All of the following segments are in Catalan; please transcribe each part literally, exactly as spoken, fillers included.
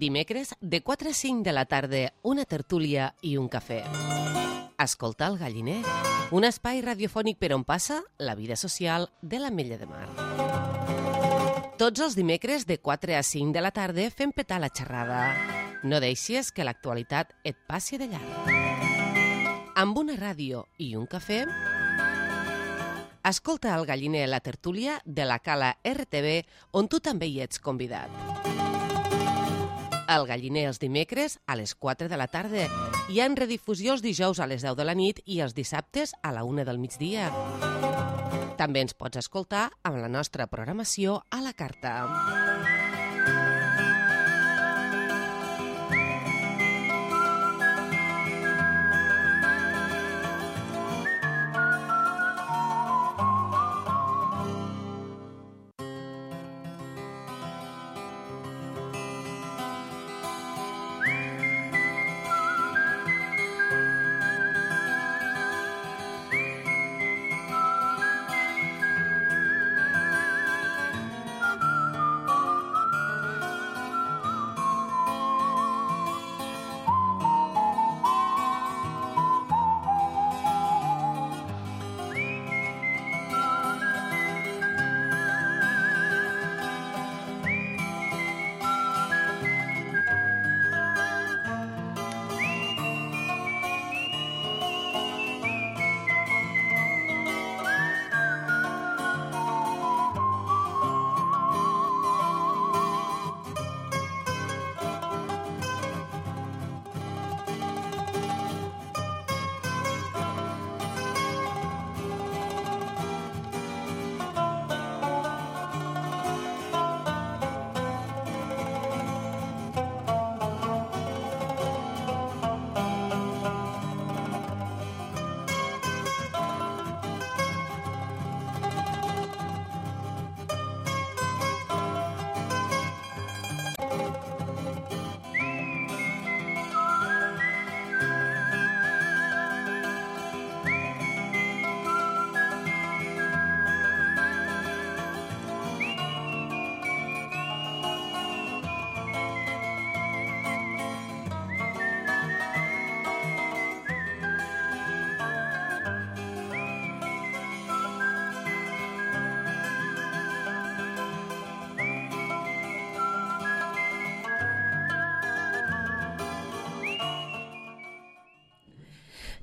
Dimecres, de quatre a cinc de la tarda, una tertúlia i un cafè. Escoltar el Galliner, un espai radiofònic per on passa la vida social de l'Ametlla de Mar. Tots els dimecres, de quatre a cinc de la tarda, fem petar la xerrada. No deixis que l'actualitat et passi de llarg. Amb una ràdio i un cafè, escolta el Galliner, la tertúlia de la Cala R T V, on tu també hi ets convidat. El Galliner els dimecres a les quatre de la tarda. Hi ha en redifusió els dijous a les deu de la nit i els dissabtes a la una del migdia. També ens pots escoltar amb la nostra programació a la carta.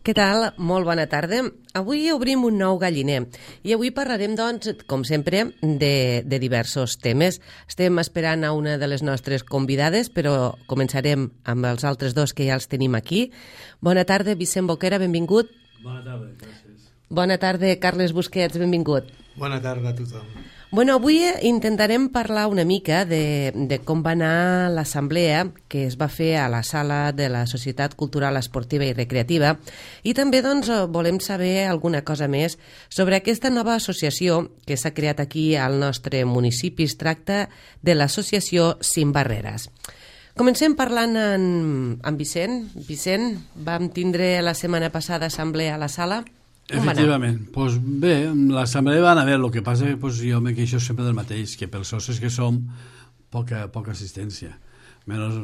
Què tal? Molt bona tarda. Avui obrim un nou Galliner i avui parlarem, doncs, com sempre, de, de diversos temes. Estem esperant a una de les nostres convidades, però començarem amb els altres dos que ja els tenim aquí. Bona tarda, Vicent Boquera, benvingut. Bona tarda, gràcies. Bona tarda, Carles Busquets, benvingut. Bona tarda a tothom. Bueno, avui intentarem parlar una mica de, de com va anar l'assemblea que es va fer a la sala de la Societat Cultural Esportiva i Recreativa i també doncs, volem saber alguna cosa més sobre aquesta nova associació que s'ha creat aquí al nostre municipi. Es tracta de l'associació Sin Barreres. Comencem parlant amb, amb Vicent. Vicent, vam tindre la setmana passada assemblea a la sala. Efectivament, pues bé, l'assemblea va anar bé, el que passa que pues, jo me queixo sempre del mateix, que pels socis que som, poca, poca assistència. Menys,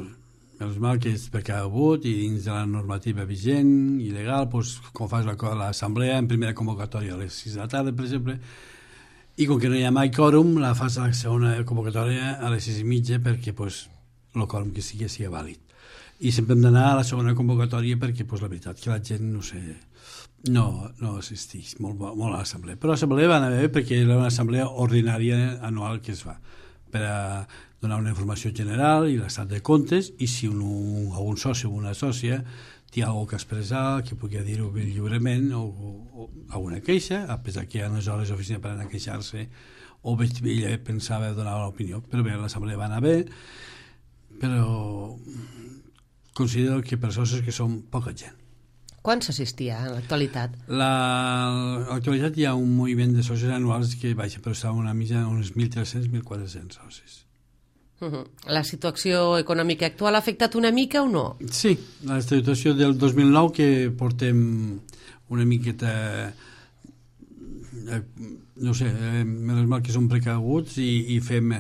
menys mal que és perquè ha hagut i dins de la normativa vigent i legal, pues, com fas l'assemblea en primera convocatòria a les sis de la tarda, per exemple, i com que no hi ha mai quòrum, la fas a la segona convocatòria a les sis i mitja perquè pues, el quòrum que sigui sigui vàlid. I sempre hem d'anar a la segona convocatòria perquè pues, la veritat que la gent, no sé... No, no assisteix molt, molt a l'assemblea. Però l'assemblea va anar bé perquè era una assemblea ordinària anual que es fa per a donar una informació general i l'estat de comptes i si un, un soci o una sòcia té alguna cosa que expressar, que pugui dir-ho lliurement o, o, o alguna queixa, a pesar que hi ha unes hores d'oficina per anar a queixar-se o ella pensava donar l'opinió. Però bé, l'assemblea va anar bé, però considero que per socis que són poca gent. Quan s'assistia en l'actualitat? La, en l'actualitat hi ha un moviment de socis anuals que baixa, però està una mitja uns mil tres-cents a mil quatre-cents socis. Uh-huh. La situació econòmica actual ha afectat una mica o no? Sí, la situació del dos mil nou que portem una miqueta eh, no sé, eh, menys mal que som precaguts i, i fem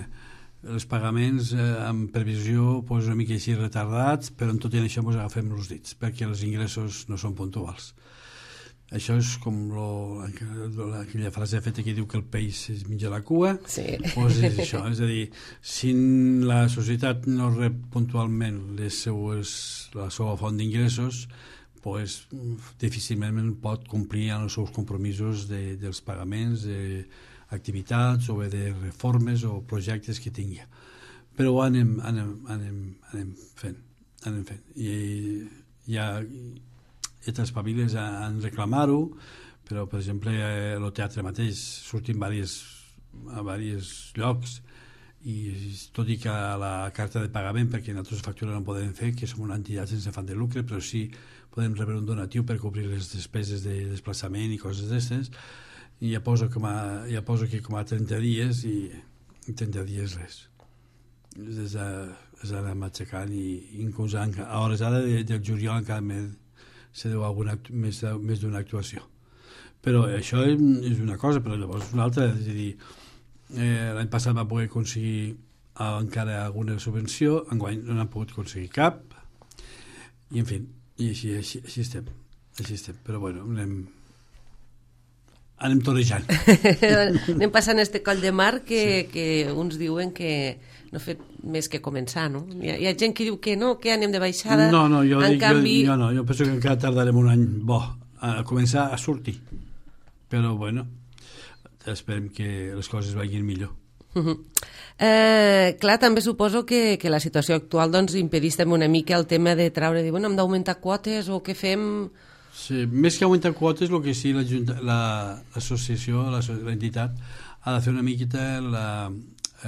els pagaments eh, amb previsió pues, una mica així retardats, però en tot i això ens agafem els dits, perquè els ingressos no són puntuals. Això és com lo, aquella frase feta que diu que el peix es menja la cua. Sí. Pues és això, és a dir, si la societat no rep puntualment les seues, la seva font d'ingressos, pues, difícilment pot complir amb els seus compromisos de, dels pagaments, d'activitats o de reformes o projectes que tingui. Però ho anem, anem, anem, anem fent. Anem fent. I ja... aquestes famílies han reclamar-ho, però, per exemple, el teatre mateix sortim a diversos llocs i tot i que la carta de pagament, perquè nosaltres factura no podem fer, que som una entitat sense afany de lucre, però sí podem rebre un donatiu per cobrir les despeses de desplaçament i coses d'aquestes, i ja poso, com a, ja poso que com a trenta dies i trenta dies res. És d'anar matxacant i inclús a hores ara del juliol encara més se deu alguna, més, més d'una actuació. Però això és una cosa, però llavors una altra, és a dir, eh, l'any passat va poder aconseguir encara alguna subvenció, enguany no n'han pogut aconseguir cap, i en fi, i així, així, així estem, així estem, però bueno, anem, anem torejant. Anem passant este coll de mar que, sí. que uns diuen que no ha fet més que començar, no? Hi ha, hi ha gent que diu que no, que anem de baixada. No, no, jo, en dic, canvi... jo, jo no, jo penso que encara tardarem un any bo a començar a sortir. Però, bueno, esperem que les coses vagin millor. Uh -huh. eh, clar, també suposo que, que la situació actual doncs, impedís també una mica el tema de traure, dir, bueno, hem d'augmentar quotes o què fem... Sí, més que augmentar quotes, el que sí l'associació, la, l'entitat, ha de fer una miqueta la,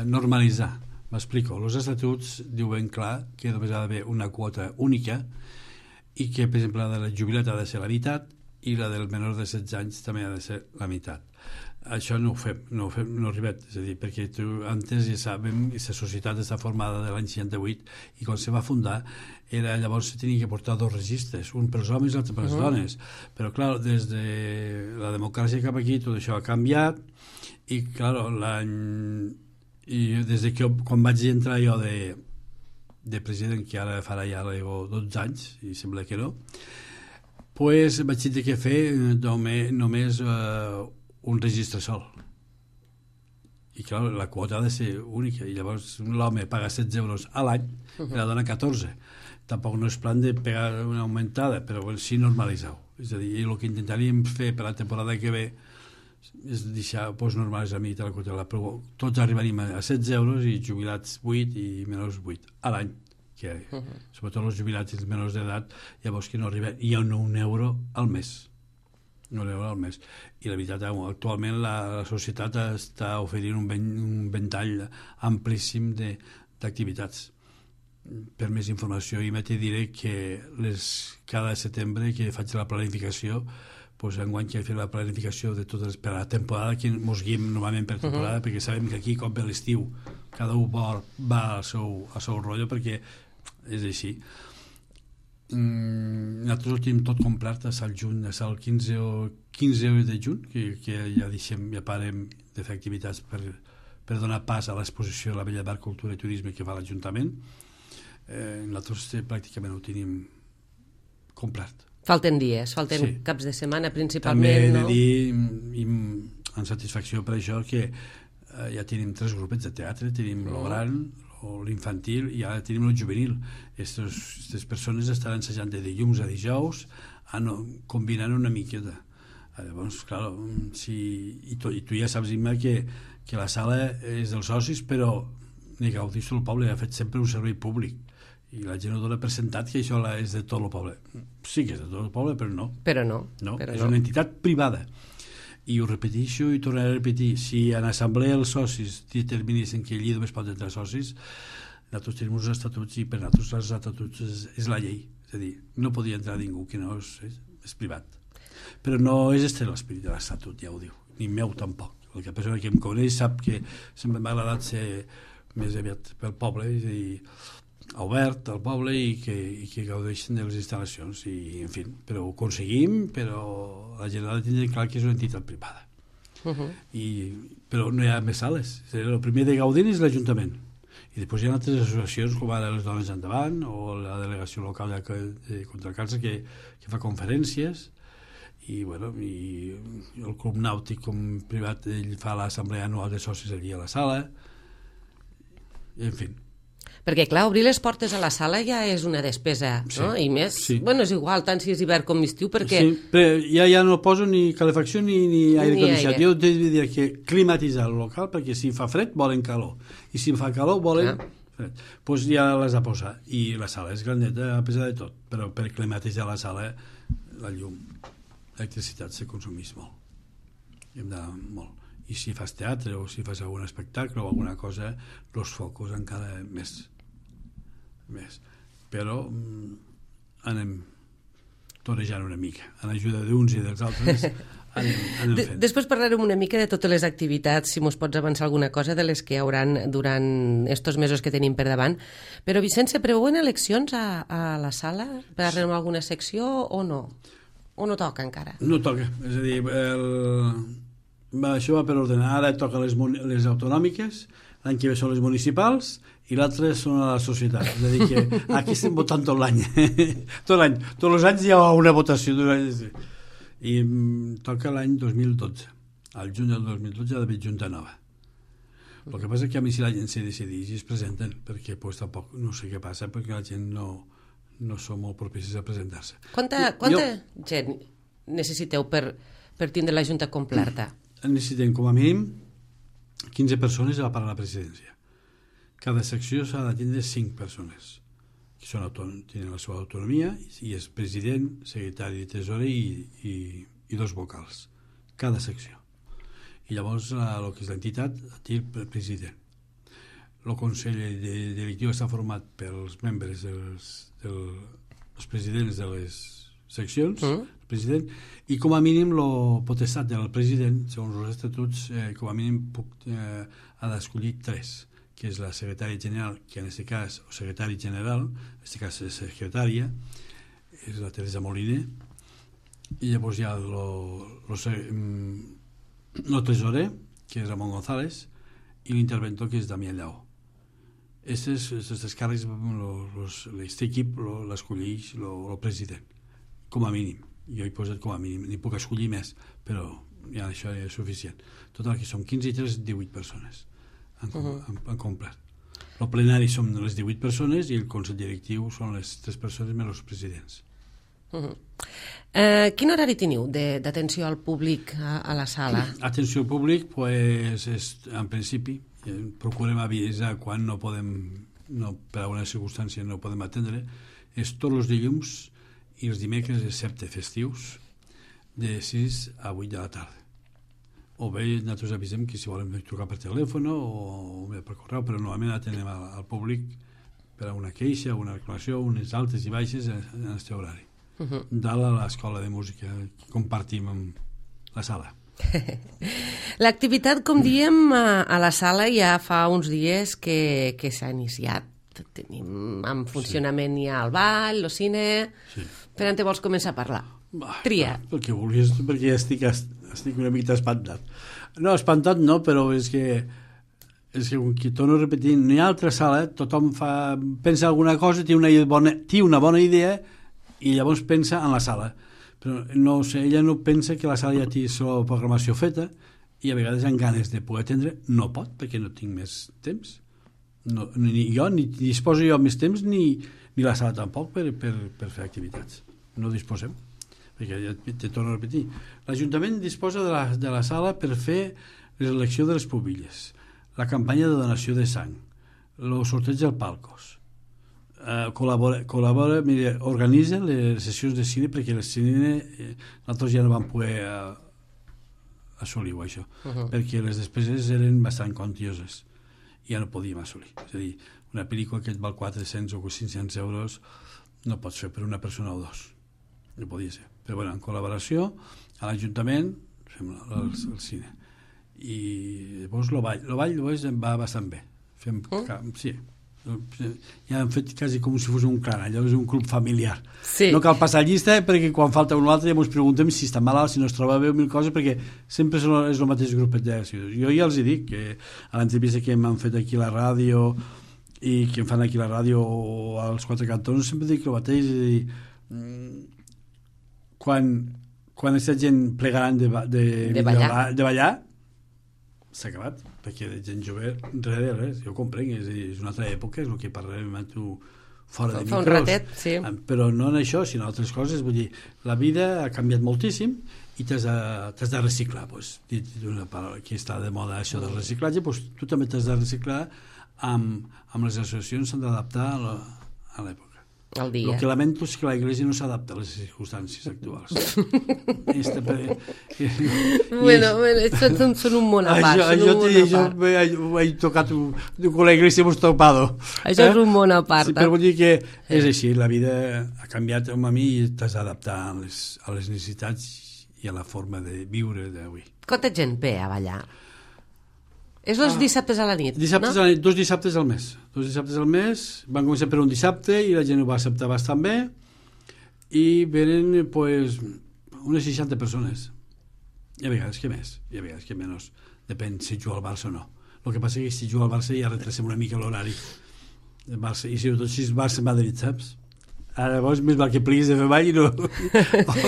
normalitzar. M'explico, els estatuts diuen clar que només ha d'haver una quota única i que, per exemple, la de la jubilat ha de ser la meitat i la del menor de setze anys també ha de ser la meitat. Això no ho fem, no ho fem, no arribem, és a dir, perquè tu, antes ja sabem que la societat està formada de l'any seixanta-vuit i quan se va fundar era, llavors se tenia que portar dos registres, un per als homes i l'altre per les uh -huh. dones, però clar, des de la democràcia cap aquí tot això ha canviat i clar, l'any i des de que quan vaig entrar jo de, de president, que ara farà ja dotze anys i sembla que no, pues vaig tenir que fer només, només uh, un registre sol i clar, la quota ha de ser única i llavors l'home paga setze euros a l'any i la dona catorze. Tampoc no és plan de pegar una augmentada, però bueno, sí normalitzar-ho, és a dir, el que intentaríem fer per la temporada que ve és deixar pues, normals a mi la quota, però tots arribaríem a setze euros i jubilats vuit i menors vuit a l'any, que uh -huh. sobretot els jubilats i els menors d'edat llavors que no arriben, i un, un euro al mes un euro al mes i la veritat, actualment la, la societat està oferint un, ven, un ventall amplíssim d'activitats. Per més informació i te diré que les, cada setembre que faig la planificació pues, enguany que he fet la planificació de totes per a la temporada, que ens guiem normalment per temporada, uh -huh. perquè sabem que aquí, com per l'estiu, cada un va, va al seu, al seu rotllo, perquè és així. Mm, nosaltres ho tenim tot complet a al juny, a el quinze, o quinze de juny, que, que ja deixem, ja parem de fer activitats per, per donar pas a l'exposició de la Bella d'Art, Cultura i Turisme que fa l'Ajuntament. Eh, nosaltres pràcticament ho tenim complet. Falten dies, falten sí. caps de setmana principalment, també no? També he de dir, amb satisfacció per això, que eh, ja tenim tres grupets de teatre, tenim mm. el gran, l'infantil i ara tenim el juvenil. Aquestes persones estaran ensajant de dilluns a dijous, combinant una miqueta. Llavors, clar, si, i, tu, i tu ja saps, Imma, que, que la sala és dels socis, però ni gaudís tot el poble, ha fet sempre un servei públic. I la gent ho dona per sentat que això és de tot el poble. Sí que és de tot el poble, però no. Però no. no però és no. una entitat privada. I ho repeteixo i tornaré a repetir. Si en assemblea els socis determinessin que allí només pot entrar socis, nosaltres tenim uns estatuts i per nosaltres els estatuts és, és la llei. És a dir, no podia entrar ningú que no és, és, és privat. Però no és este l'esperit de l'estatut, ja ho diu. Ni meu tampoc. El que persona que em coneix sap que sempre m'ha agradat ser més aviat pel poble, és a dir, obert al poble i que, i que gaudeixen de les instal·lacions i, en fi, però ho aconseguim, però la gent ha de tenir clar que és una entitat privada. Uh -huh. I, però no hi ha més sales. El primer de gaudir és l'Ajuntament I després hi ha altres associacions com ara les Dones Endavant o la delegació local de, de contra el càncer que, que fa conferències i, bueno, i el Club Nàutic com privat ell fa l'assemblea anual de socis allí a la sala i, en fi. Perquè, clar, obrir les portes a la sala ja és una despesa, sí, no? I més, sí. Bueno, és igual, tant si és hivern com estiu, perquè... Sí, però ja, ja no poso ni calefacció ni, ni aire condicionat. Jo t'he de dir que climatitzar el local, perquè si fa fred volen calor, i si fa calor volen ah. fred. Doncs pues ja les ha posat. I la sala és grandeta, a pesar de tot, però per climatitzar la sala, la llum, l'electricitat se consumís molt. I hem d'anar molt. I si fas teatre o si fas algun espectacle o alguna cosa, els focus encara més... més, però mm, anem torejant una mica en ajuda d'uns i dels altres anem, anem de, fent. Després parlarem una mica de totes les activitats, si mos pots avançar alguna cosa de les que hi hauran durant estos mesos que tenim per davant, però Vicent, se preveuen eleccions a, a la sala per anar a alguna secció o no? O no toca encara? No toca, és a dir el... va, això va per ordenar, ara toca les, les autonòmiques, l'any que ve són les municipals i l'altre són a la societat, és a dir que aquí estem votant tot l'any tot l'any, tots els anys hi ha una votació i mm, toca l'any dos mil dotze al juny del dos mil dotze ha d'haver junta nova. El que passa és que a mi si la gent se decideix i es presenten, perquè pues, tampoc no sé què passa, perquè la gent no, no som molt propicis a presentar-se. Quanta, quanta jo, gent necessiteu per, per tindre la junta completa? Necessitem com a mínim quinze persones a part de la presidència. Cada secció s'ha de tindre cinc persones que són tenen la seva autonomia i és president, secretari de tesorer i, i, i dos vocals cada secció. I llavors el que és l'entitat té el president. El consell directiu està format pels membres dels, dels presidents de les seccions, mm. el president, i com a mínim el potestat del president, segons els estatuts, eh, com a mínim puc, eh, ha d'escollir tres, que és la secretària general, que en aquest cas, o secretari general, en aquest cas és secretària, és la Teresa Moliner, i llavors hi ha el tresorer, que és Ramon González, i l'interventor, que és Damià Lleó. Aquests càrrecs, aquest equip l'escolleix el president, com a mínim. Jo he posat com a mínim, n'hi puc escollir més, però ja això és suficient. Total, que són quinze i tres, divuit persones en, uh -huh. en, en complet. El plenari són les divuit persones i el consell directiu són les tres persones més els presidents. Uh -huh. eh, quin horari teniu d'atenció al públic a, a la sala? Atenció al públic, pues, és, en principi, eh, procurem avisar quan no podem, no, per alguna circumstància no podem atendre, és tots els dilluns i els dimecres, excepte festius, de sis a vuit de la tarda. O bé nosaltres avisem que si volem trucar per telèfon o, o per correu, però normalment atenem al, al públic per a una queixa, una reclamació, unes altes i baixes en, en aquest horari. Uh -huh. Dalt a l'escola de música que compartim amb la sala. L'activitat, com diem, a, a la sala ja fa uns dies que, que s'ha iniciat. Tenim en funcionament sí. Ja el ball, el cine... Sí. Per on te vols començar a parlar? Bah, Tria. Perquè vulguis, perquè estic, estic una mica espantat. No, espantat no, però és que és que, que torno a repetir, no hi ha altra sala, tothom fa, pensa alguna cosa, té una bona, té una bona idea i llavors pensa en la sala. Però no sé, ella no pensa que la sala ja té la programació feta i a vegades amb ganes de poder atendre no pot, perquè no tinc més temps. No, ni jo, ni disposo jo més temps, ni, ni la sala tampoc per, per, per fer activitats. No disposem, perquè ja te torno a repetir. L'Ajuntament disposa de la, de la sala per fer l'elecció de les pubilles, la campanya de donació de sang, el sorteig dels palcos, eh, col·labora, col·labora mira, organitza les sessions de cine, perquè el cine eh, nosaltres ja no vam poder eh, assolir-ho, això, uh -huh. perquè les despeses eren bastant quantioses i ja no podíem assolir. És a dir, una pel·lícula que et val quatre-cents o cinc-cents euros no pots fer per una persona o dos. No podia ser. Però bueno, en col·laboració a l'Ajuntament fem el, el cine. I llavors el ball. El ball llavors va bastant bé. Fem, mm. Sí. Ja hem fet quasi com si fos un clan, allò és un club familiar. Sí. No cal passar llista perquè quan falta un altre ja ens preguntem si està malalt, si no es troba bé o mil coses, perquè sempre és el mateix grupet de ciutadans. Jo ja els hi dic que a l'entrevista que m'han fet aquí a la ràdio i que em fan aquí la ràdio als Quatre Cantons sempre dic el mateix, és a dir, quan, quan aquesta gent plegaran de, de, de ballar, de ballar s'ha acabat, perquè de gent jove res, res, jo ho comprenc, és, és una altra època, és el que parlem amb tu fora de fa micros, un ratet, sí. però no en això, sinó en altres coses. Vull dir, la vida ha canviat moltíssim i t'has de, t'has de reciclar, doncs, dit una paraula que està de moda això del reciclatge, doncs tu també t'has de reciclar amb, amb les associacions, s'han d'adaptar a, la, a l'època. El dia. El que lamento és que la Iglesia no s'adapta a les circumstàncies actuals. Este, bueno, bueno, això són, són un món a part. Això, això ho he tocat, con la Iglesia hemos topado. Això eh? És un món a part. Sí, però vull dir que és així, la vida ha canviat amb a mi i t'has d'adaptar a les, a les necessitats i a la forma de viure d'avui. Quanta gent ve a ballar? És els dissabtes a la nit, dissabtes no? A la nit, dos dissabtes al mes. Dos dissabtes al mes, van començar per un dissabte i la gent ho va acceptar bastant bé i venen, pues, unes seixanta persones. Hi ha vegades que més, hi ha vegades que menys. Depèn si juga al Barça o no. El que passa és que si juga al Barça ja retrasem una mica l'horari. Barça, i sobretot si és Barça-Madrid, saps? Ara llavors més val que pliguis de fer ball i no...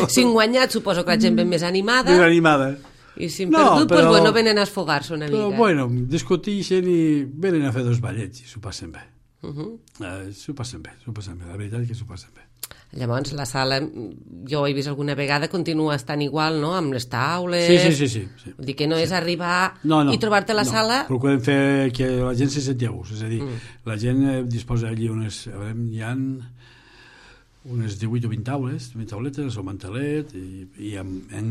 Si en guanyat suposo que la gent ve més animada. Més animada. I si en perdut, no, però, pues bueno, venen a esfogar-se una però, mica. Bueno, discuteixen i venen a fer dos ballets i s'ho passen bé. Uh -huh. uh, s'ho passen bé, s'ho passen bé. La veritat és que s'ho passen bé. Llavors, la sala, jo ho he vist alguna vegada, continua estant igual, no?, amb les taules... Sí, sí, sí. sí, sí. Vull dir que no sí. és arribar no, no, i trobar-te la no. sala... Procurem fer que la gent se senti a gust. És a dir, mm. la gent disposa allí unes... A veure, hi ha unes divuit o vint taules, vint tauletes, el mantelet, i, i amb, en,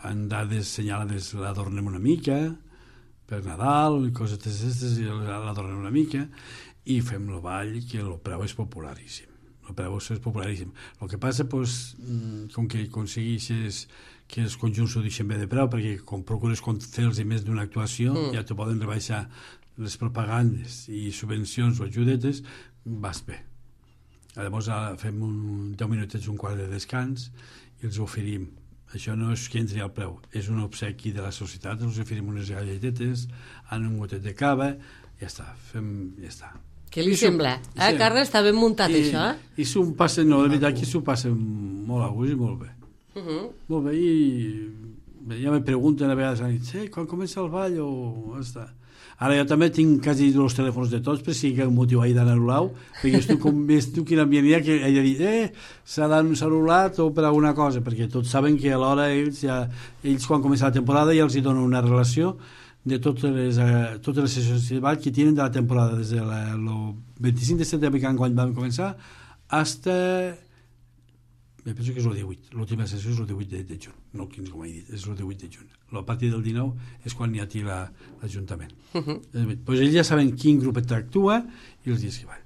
en dades senyalades l'adornem una mica, per Nadal, i coses d'aquestes, i l'adornem una mica, i fem el ball, que el preu és popularíssim. El preu és popularíssim. El que passa, doncs, com que aconsegueixes que els conjunts ho deixen bé de preu, perquè com procures fer-los més d'una actuació, mm. ja t'ho poden rebaixar les propagandes i subvencions o ajudetes, vas bé. Llavors fem un, deu minutets, un quart de descans i els oferim. Això no és que entri al preu, és un obsequi de la societat, els oferim unes galletetes, en un gotet de cava, ja està, fem, ja està. Què li sembla? Eh, sí. Carles, està ben muntat, I, això, eh? I s'ho passen, no, de veritat que s'ho passen molt a gust i molt bé. Uh -huh. Molt bé, i ja me pregunten a vegades, eh, quan comença el ball o... Està. Ara jo també tinc quasi els telèfons de tots, per si hi ha un motiu ahir d'anul·lar-ho, perquè és tu com ves tu quin ambient hi ha, que ella dit, eh, s'ha anul·lat o per alguna cosa, perquè tots saben que alhora ells, ja, ells quan comença la temporada ja els hi donen una relació de totes les, uh, totes les sessions de ball que tenen de la temporada, des del de vint-i-cinc de setembre, que quan vam començar, hasta... Me penso que és el divuit, l'última sessió és el divuit de, de juny, no el quinze com he dit, és el divuit de juny. A partir del dinou és quan hi ha aquí l'Ajuntament. La, uh -huh. Pues ells ja saben quin grup actua i els dies que van.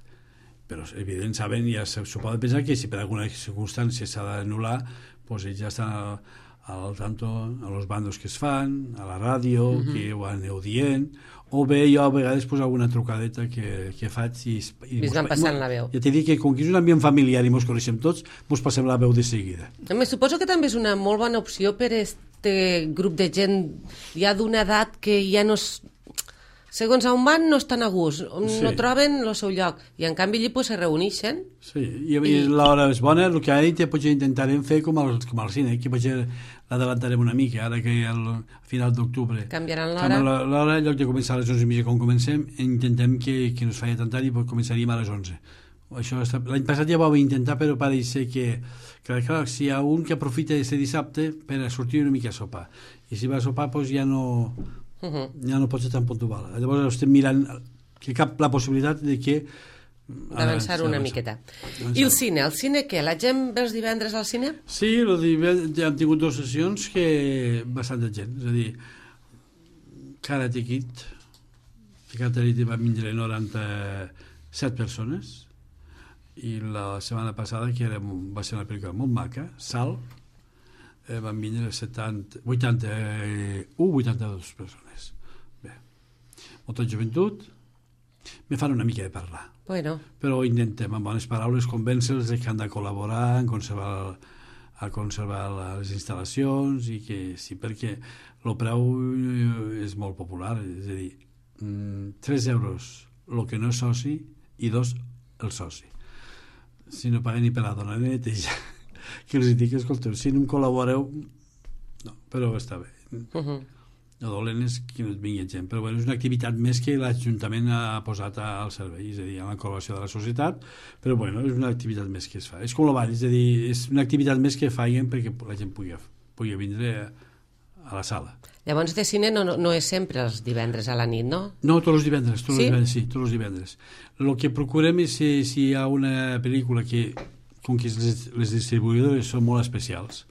Però evident saben, ja s'ho poden pensar que si per alguna circumstància s'ha d'anul·lar, pues ells ja estan al, al tanto a los bandos que es fan, a la ràdio, uh -huh. que ho aneu dient, o bé jo a vegades pues, alguna trucadeta que, que faig i, i, I es van passant la veu. Ja t'he dit que com que és un ambient familiar i mos coneixem tots, mos passem la veu de seguida. Me suposo que també és una molt bona opció per este grup de gent ja d'una edat que ja no és, segons a on van no estan a gust, sí. no troben el seu lloc, i en canvi allí pues, se reuneixen. Sí, i, i l'hora és bona, el que ha dit potser intentarem fer com al, com al cine, que potser l'adelantarem una mica, ara que al final d'octubre canviaran l'hora. L'hora, en lloc de començar a les onze i mitja com comencem, intentem que, que no es faci tant tard i començaríem a les onze. L'any passat ja ho vam intentar, però pareix que, que clar, si hi ha un que aprofita aquest dissabte per a sortir una mica a sopar, i si va a sopar doncs ja no, uh -huh. ja no pot ser tan puntual. Llavors estem mirant que cap la possibilitat de que d'avançar una miqueta. I el cine? El cine què? La gent ve els divendres al cine? Sí, el divendres hem tingut dues sessions que bastanta gent, és a dir, Karate Kid, Karate Kid va vindre noranta-set persones, i la setmana passada, que era, va ser una pel·lícula molt maca, Sal, eh, van vindre setanta, vuitanta-u, vuitanta-dues persones. Bé, molta joventut, me fan una mica de parlar. Bueno. Però intentem, amb bones paraules, convèncer-los que han de col·laborar en conservar, a conservar les instal·lacions, i que sí, perquè el preu és molt popular, és a dir, tres euros el que no és soci i dos, el soci. Si no paguen ni per la dona ni neteja, que els dic, escolteu, si no em col·laboreu, no, però està bé. Uh-huh. El dolent és que no et vingui gent, però bueno, és una activitat més que l'Ajuntament ha posat al servei, és a dir, a la col·laboració de la societat, però bueno, és una activitat més que es fa. És com el ball, és a dir, és una activitat més que faien perquè la gent pugui, pugui vindre a, a la sala. Llavors de cine no, no, no és sempre els divendres a la nit, no? No, tots els divendres, tots sí? els divendres, sí, tots els divendres. El que procurem és si, si hi ha una pel·lícula que, com que les, les distribuïdores són molt especials,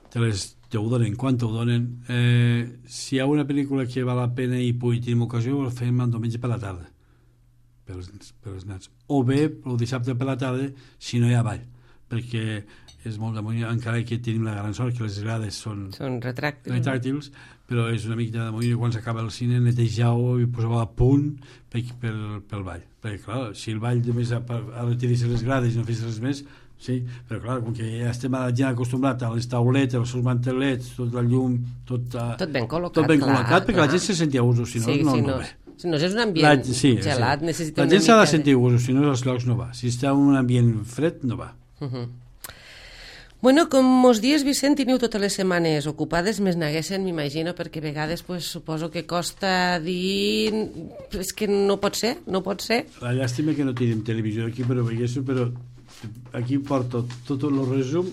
te les te ho donen, quan te ho donen, eh, si hi ha una pel·lícula que val la pena i pugui tenir ocasió, el fem el diumenge per la tarda, per els, per els nats. O bé, el dissabte per la tarda, si no hi ha ball, perquè és molt damunt, encara que tenim la gran sort que les grades són, són retràctils, retràctils, però és una mica damunt i quan s'acaba el cine netejau i poseu a punt per, per, pel ball. Perquè, clar, si el ball només ha, ha de tenir les grades i no fes res més, sí, però clar, com que ja estem ja acostumats a les tauletes, als seus mantelets, tot el llum, tot, uh, tot ben col·locat, tot ben clar, col·locat perquè clar. La gent se sentia a usos, si no, sí, no, sí, no, no va. Si no és un ambient la, sí, gelat, sí. necessita la una gent s'ha de mica sentir a usos, si no els llocs no va. Si està en un ambient fred, no va. Uh-huh. Bueno, com mos dies, Vicent, teniu totes les setmanes ocupades, més n'haguessin, m'imagino, perquè a vegades pues, suposo que costa dir... És que no pot ser, no pot ser. La llàstima que no tenim televisió aquí, però veiguéssiu, però aquí porto tot el resum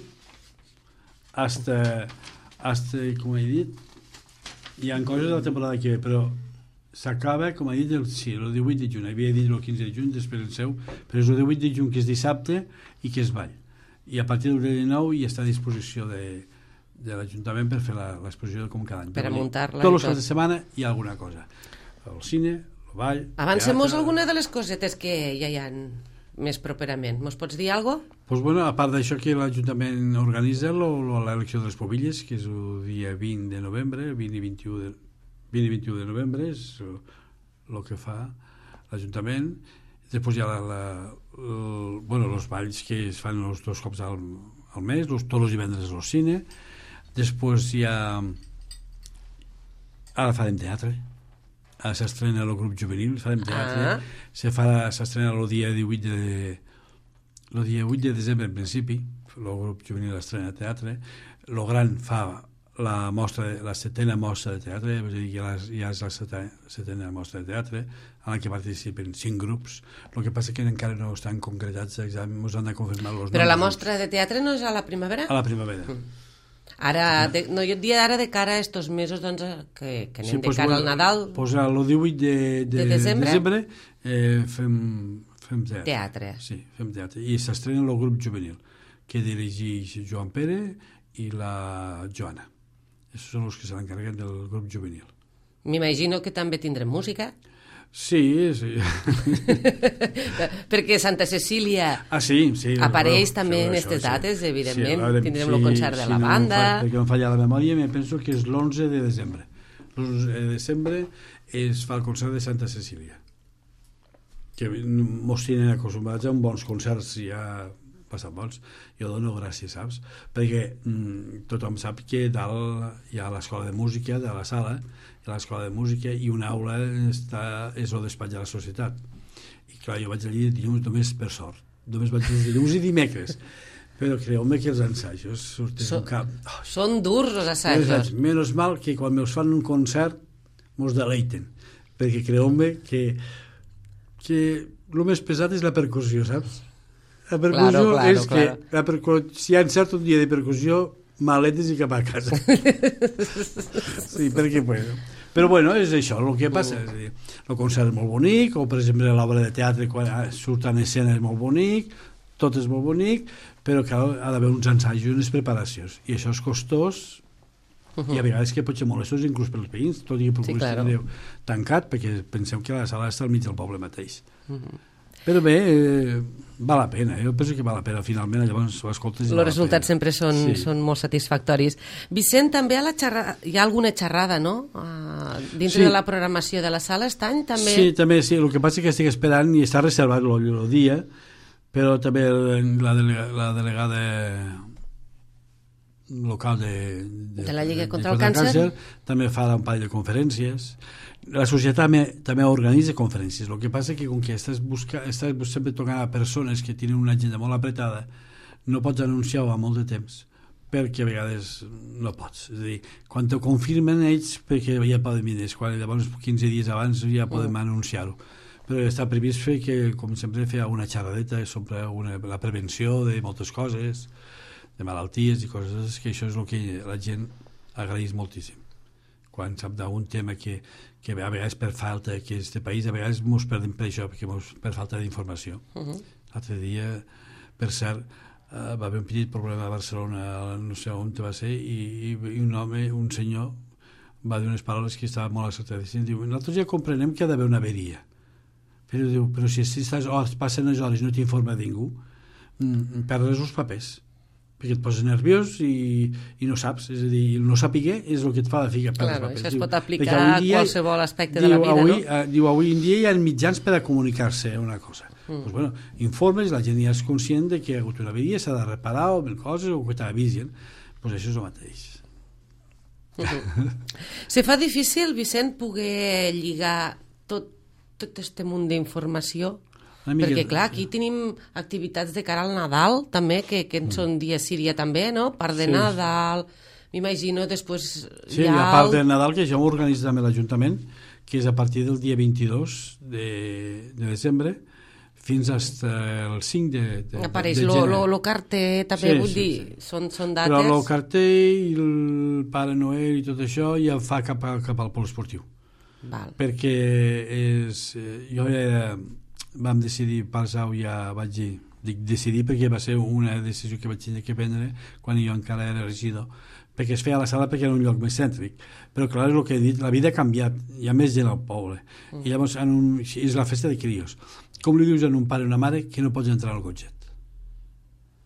hasta, hasta, com he dit, hi ha coses de la temporada que ve, però s'acaba, com he dit, el, sí, el divuit de juny, havia dit el quinze de juny, després el seu, però és el divuit de juny, que és dissabte i que és ball. I a partir del dinou ja està a disposició de, de l'Ajuntament per fer l'exposició com cada any. Per a muntar-la. Tots els caps de setmana hi ha alguna cosa. El cine, el ball... Avancem-nos alguna de les cosetes que ja hi ha més properament. Mos pots dir alguna cosa? Pues bueno, a part d'això que l'Ajuntament organitza l'elecció de les pobilles, que és el dia vint de novembre, el vint i vint-i-u de, vint i vint-i-u de novembre, és el que fa l'Ajuntament. Després hi ha la, la, el, bueno, els balls que es fan els dos cops al, al mes, los, tots els divendres al cine. Després hi ha... Ara farem teatre. Ara s'estrena el grup juvenil, farem teatre. Ah. Se farà, s'estrena el dia divuit de... el dia vuit de desembre, en principi, el grup juvenil estrena teatre. El gran fa la mostra, la setena mostra de teatre, és a dir, ja, ja és la setena, setena mostra de teatre, en la que participen cinc grups. El que passa que encara no estan concretats, ens han de confirmar els noms. Però la mostra de teatre no és a la primavera? A la primavera. Mm. Ara, de, no, jo et dia ara de cara a estos mesos, doncs, que, que anem sí, de pues, cara bueno, al Nadal... Pues el divuit de, de, de desembre, desembre eh, fem, fem teatre. Teatre. Sí, fem teatre. I s'estrena el grup juvenil, que dirigeix Joan Pere i la Joana. Aquests són els que se l'encarreguen del grup juvenil. M'imagino que també tindrem música. Sí, sí. Perquè Santa Cecília ah, sí, sí, apareix bueno, també en aquestes dates, sí. Evidentment. Sí, tindrem sí, el concert de sí, la banda. No, perquè no falla la memòria, me penso que és l'onze de desembre. L'onze de desembre es fa el concert de Santa Cecília. Que mos tenen acostumats a uns bons concerts ja passant bons. Jo dono gràcies, saps? Perquè mm, tothom sap que dalt hi ha l'escola de música de la sala, hi ha l'escola de música i una aula està, és el despatx de la societat. I clar, jo vaig allí dilluns només per sort. Només vaig els dilluns i dimecres. Però creu-me que els ensajos surten so, un cap. Oh, són durs els assajos. Menos mal que quan me'ls fan un concert mos deleiten. Perquè creu-me que, que el més pesat és la percussió, saps? La percussió claro, claro, és claro. que la percu- si hi ha encert un dia de percussió, maletes i cap a casa. Sí, perquè bueno. Però bueno, és això el que passa. És dir, el concert és molt bonic, o per exemple l'obra de teatre quan surt en escena és molt bonic, tot és molt bonic, però clar, ha d'haver uns ensajos i unes preparacions. I això és costós, uh-huh. i a vegades que pot ser molestós inclús pels veïns, tot i que procureu sí, claro. tancat, perquè penseu que la sala està al mig del poble mateix. Uh-huh. Però bé, eh, val la pena, jo penso que val la pena finalment, llavors ho escoltes i els resultats sempre són, sí. són molt satisfactoris. Vicent, també a la xerra... hi ha alguna xerrada, no? Uh, dintre sí. de la programació de la sala aquest any també... Sí, també, sí, el que passa és que estic esperant i està reservat el dia, però també la, delega, la delegada local de, de, de la Lliga contra el Càncer. Càncer, també fa un parell de conferències. La societat també, també organitza conferències. El que passa és que com que estàs, busca, estàs sempre tocant a persones que tenen una agenda molt apretada, no pots anunciar-ho a molt de temps, perquè a vegades no pots. És a dir, quan te confirmen ells, perquè ja poden venir, quan llavors quinze dies abans ja podem mm. anunciar-ho. Però està previst fer que, com sempre, fer una xerradeta sobre una, la prevenció de moltes coses, de malalties i coses, que això és el que la gent agraeix moltíssim. Quan sap d'un tema que, que a vegades per falta, que este país a vegades ens perdem per això, perquè mos, per falta d'informació. Uh -huh. L'altre dia, per cert, uh, va haver un petit problema a Barcelona, no sé on va ser, i, i un home, un senyor, va dir unes paraules que estaven molt acertades. Diu, nosaltres ja comprenem que ha d'haver una averia. Però diu, però si estàs, oh, passen les hores i no t'informa ningú, mm, perdes els papers, perquè et poses nerviós i, i no saps, és a dir, no sapiguer és el que et fa de ficar per claro, els papers. Això es pot aplicar a qualsevol aspecte diu, de la vida, avui, no? Uh, diu, avui en dia hi ha mitjans per a comunicar-se una cosa. Mm. Pues bueno, informes, la gent ja és conscient de que hi ha hagut una averia, s'ha de reparar o ben coses, o que t'avisen. Pues això és el mateix. Uh -huh. Se fa difícil, Vicent, poder lligar tot tot aquest munt d'informació, perquè clar, aquí tenim activitats de cara al Nadal també, que, que en són dia sí, dia també, no? Part de sí. Nadal, m'imagino després sí, hi ha... la part de Nadal, que ja ho organitza també l'Ajuntament, que és a partir del dia vint-i-dos de, de desembre fins al cinc de, de, apareix de gener. El carter també, sí, vull sí, dir, sí. Són, són dates... Però el carter i el Pare Noel i tot això ja fa cap, a, cap al pol esportiu. Val. Perquè és, jo ja vam decidir passar, ja vaig dir, dic decidir perquè va ser una decisió que vaig tenir que prendre quan jo encara era regidor, perquè es feia a la sala perquè era un lloc més cèntric, però clar, és el que he dit, la vida ha canviat, hi ha més gent al poble, mm. i llavors en un, és la festa de crios. Com li dius a un pare o una mare que no pots entrar al cotxet?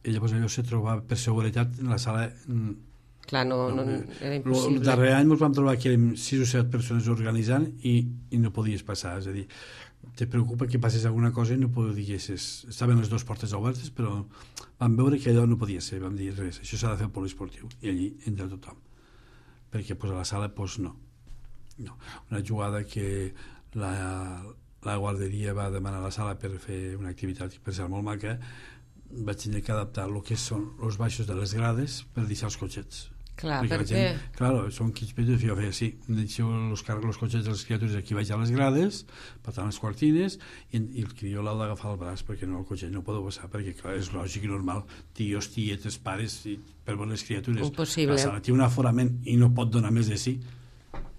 I llavors allò se trobava per seguretat en la sala... Clar, no, no, no era impossible. El darrer any ens vam trobar que érem sis o set persones organitzant i, i no podies passar, és a dir, te preocupa que passés alguna cosa i no podies... Estaven les dues portes obertes, però vam veure que allò no podia ser, vam dir res, això s'ha de fer al poliesportiu, i allí entra tothom. Perquè pues, a la sala, pues, no. no. Una jugada que la, la guarderia va demanar a la sala per fer una activitat per ser molt maca, vaig tenir que adaptar el que són els baixos de les grades per deixar els cotxets. Clar, perquè perquè... Gent, claro, són quins petits, jo feia sí, deixeu els, els cotxets de les criatures aquí baix a les grades, per tant les quartines, i, i el crió l'ha d'agafar el braç, perquè no, el cotxet no podeu passar, perquè clar, és lògic i normal, tios, tietes, pares, i, per veure les criatures. Impossible. La sala té un aforament i no pot donar més de sí,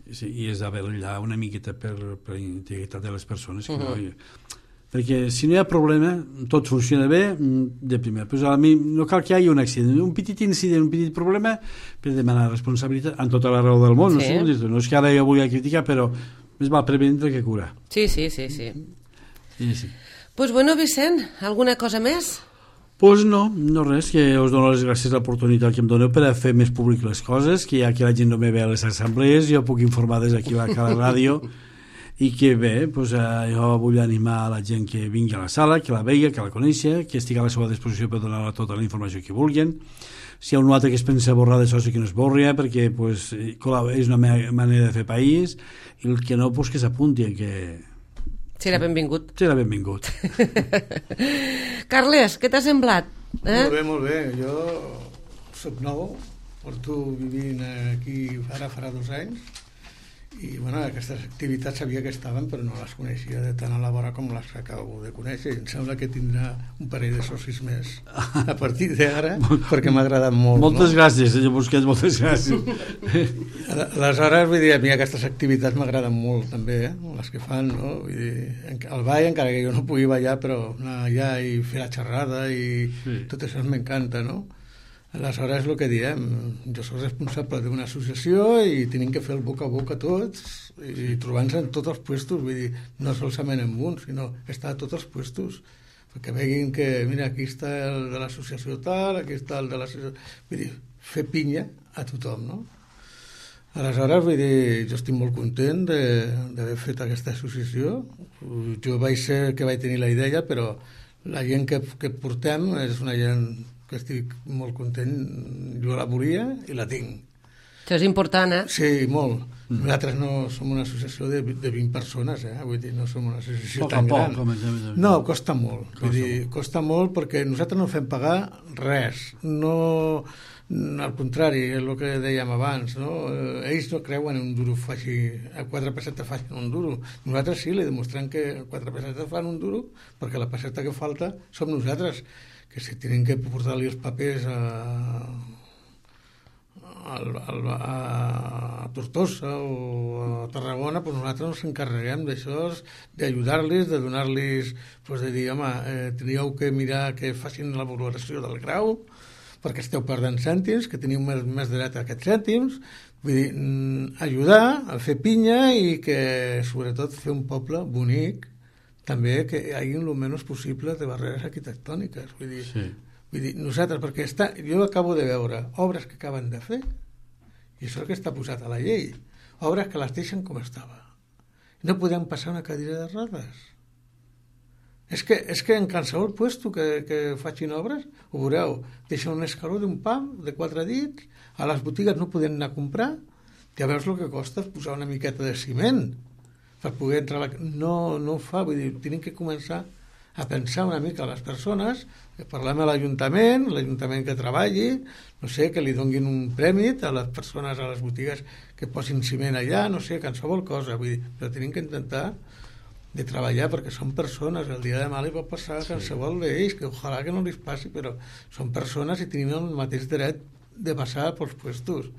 sí i és d'haver allà una miqueta per, per la integritat de les persones, que uh -huh. no... perquè si no hi ha problema, tot funciona bé de primer, però a mi no cal que hi hagi un accident, un petit incident, un petit problema per demanar responsabilitat en tota la raó del món, sí. no, no és que ara jo vulgui criticar, però més val prevenir que curar. Sí, sí, sí, sí. Sí, sí. Pues bueno, Vicent, alguna cosa més? Pues no, no res, que us dono les gràcies a l'oportunitat que em doneu per a fer més públic les coses, que ja que la gent no me ve a les assemblees, jo puc informar des d'aquí a la ràdio, i que bé, doncs, eh, jo vull animar a la gent que vingui a la sala, que la vegi, que la coneixi, que estigui a la seva disposició per donar tota la informació que vulguin. Si hi ha un altre que es pensa borrar d'això, sí que no es borri, perquè pues, és una manera de fer país, i el que no, pues, que s'apunti, que... Serà benvingut. Serà benvingut. Carles, què t'ha semblat? Eh? Molt bé, molt bé. Jo soc nou, porto vivint aquí ara farà dos anys, i bueno, aquestes activitats sabia que estaven, però no les coneixia de tant a la vora com les que acabo de conèixer, i em sembla que tindrà un parell de socis més a partir d'ara, perquè m'ha agradat molt. Moltes no? gràcies, senyor Busquets, moltes gràcies. Aleshores, vull dir, a mi aquestes activitats m'agraden molt també, eh? Les que fan, no? Vull dir, el ball, encara que jo no pugui ballar, però anar allà i fer la xerrada i sí. Tot això m'encanta, no? Aleshores, el que diem, jo soc responsable d'una associació i tenim que fer el boca a boca tots i trobar-nos en tots els puestos, vull dir, no solament en un, sinó estar a tots els puestos, perquè veguin que, mira, aquí està el de l'associació tal, aquí està el de l'associació... Vull dir, fer pinya a tothom, no? Aleshores, vull dir, jo estic molt content d'haver fet aquesta associació. Jo vaig ser que vaig tenir la idea, però la gent que, que portem és una gent que estic molt content. Jo la volia i la tinc. Això és important, eh? Sí, molt. Mm. Nosaltres no som una associació de, de vint persones, eh? Vull dir, no som una associació poc tan poc, gran. Com no, costa molt. Costa, Vull dir, molt. costa molt perquè nosaltres no fem pagar res. No, al contrari, és el que dèiem abans, no? Ells no creuen en un duro faci, a quatre pessetes facin un duro. Nosaltres sí, li demostrem que quatre pessetes fan un duro perquè la pesseta que falta som nosaltres, que si tenen que portar-li els papers a... Al, al, a Tortosa o a Tarragona, pues nosaltres ens encarreguem d'això, d'ajudar-los, de donar-los, pues de dir, home, eh, teníeu que mirar que facin la valoració del grau, perquè esteu perdent cèntims, que teniu més, més dret a aquests cèntims, vull dir, ajudar a fer pinya i que, sobretot, fer un poble bonic, també que hi hagi el menys possible de barreres arquitectòniques, vull dir... Sí. Vull dir, nosaltres, perquè està, jo acabo de veure obres que acaben de fer, i això és el que està posat a la llei, obres que les deixen com estava. No podem passar una cadira de rodes. És que, és que en qualsevol puesto que, que facin obres, ho veureu, deixen un escaló d'un pam, de quatre dits, a les botigues no poden anar a comprar, ja veus el que costa posar una miqueta de ciment per poder entrar a la... No, no ho fa, vull dir, tenen que començar a pensar una mica a les persones, parlem a l'Ajuntament, l'Ajuntament que treballi, no sé, que li donguin un premi a les persones, a les botigues que posin ciment allà, no sé, qualsevol cosa, vull dir, però tenim que intentar de treballar perquè són persones, el dia de demà li pot passar a qualsevol d'ells, que ojalà que no li passi, però són persones i tenim el mateix dret de passar pels puestos.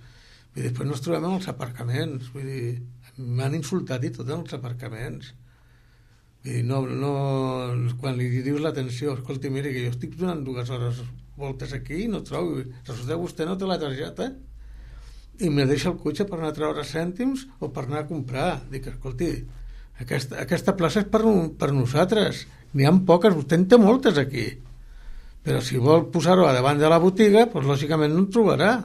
I després ens trobem en els aparcaments, vull dir, m'han insultat i tot en els aparcaments. I no, no, quan li dius l'atenció, escolti, miri, que jo estic donant dues hores voltes aquí i no trobo, resulta que vostè no té la targeta i me deixa el cotxe per anar a treure cèntims o per anar a comprar. Dic, escolti, aquesta, aquesta plaça és per, per nosaltres, n'hi ha poques, vostè en té moltes aquí, però si vol posar-ho a davant de la botiga, doncs lògicament no en trobarà.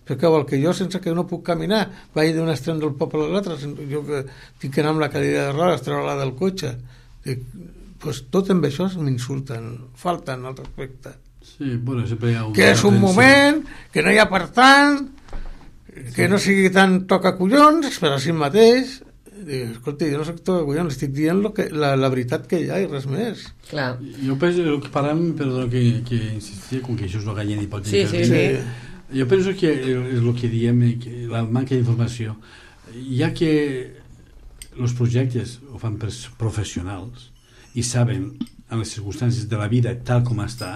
Perquè vol que jo, sense que no puc caminar, vagi d'un extrem del poble a l'altre, jo que tinc que anar amb la cadira de rodes, treure-la del cotxe. Dic, pues tot amb això m'insulten, falten al respecte. Sí, bueno, sempre hi ha un... Que és un moment, que no hi ha per tant, que sí. No sigui tan tocacollons, però així mateix. Dic, escolti, jo no soc tocacollons, estic dient lo que, la, la veritat que hi ha i res més. Clar. Jo penso, el que parlem, perdó que, que insistia, com que això és el gallent i pot sí, sí, sí. Jo penso que és el que diem, que la manca d'informació, ja que els projectes ho fan per professionals i saben en les circumstàncies de la vida tal com està,